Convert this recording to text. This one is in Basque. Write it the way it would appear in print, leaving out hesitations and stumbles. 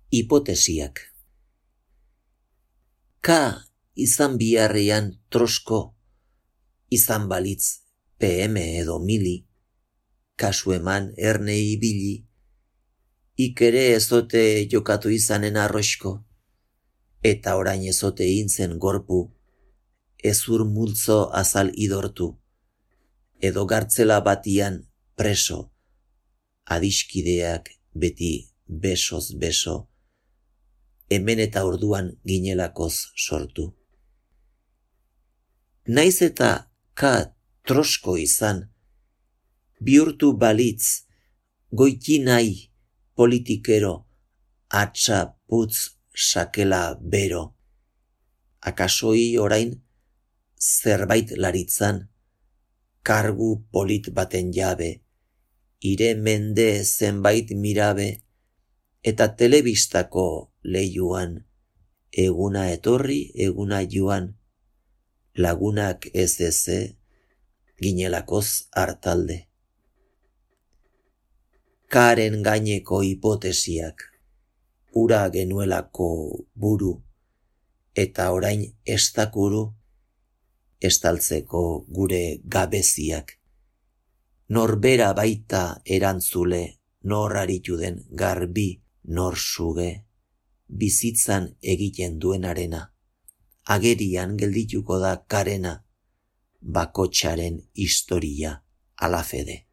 Hipotesiak. K izan biharrean trosko, izan balitz PM edo mili, kasu eman erne ibili, ikere ezote jokatu izanen arroxko, eta orain ezote intzen gorpu, ezur multzo azal idortu, edo gartzela batian preso, adiskideak beti besoz beso, hemen eta orduan ginelakoz sortu. Naiz eta K trosko izan, bihurtu balitz, goiti nahi politikero, atxa putz sakela bero, akasoi orain zerbait laritzan, kargu polit baten jabe, ire mende zenbait mirabe, eta telebistako leiuan, eguna etorri, eguna joan, lagunak ez eze, ginelakoz hartalde. Karen gaineko hipotesiak, ura genuelako buru, eta orain estakuru, estaltzeko gure gabeziak. Norbera baita erantzule, nor aritu den garbi, nor suge, bizitzan egiten duenarena, agerian geldituko da karena, bakotsaren historia alafede.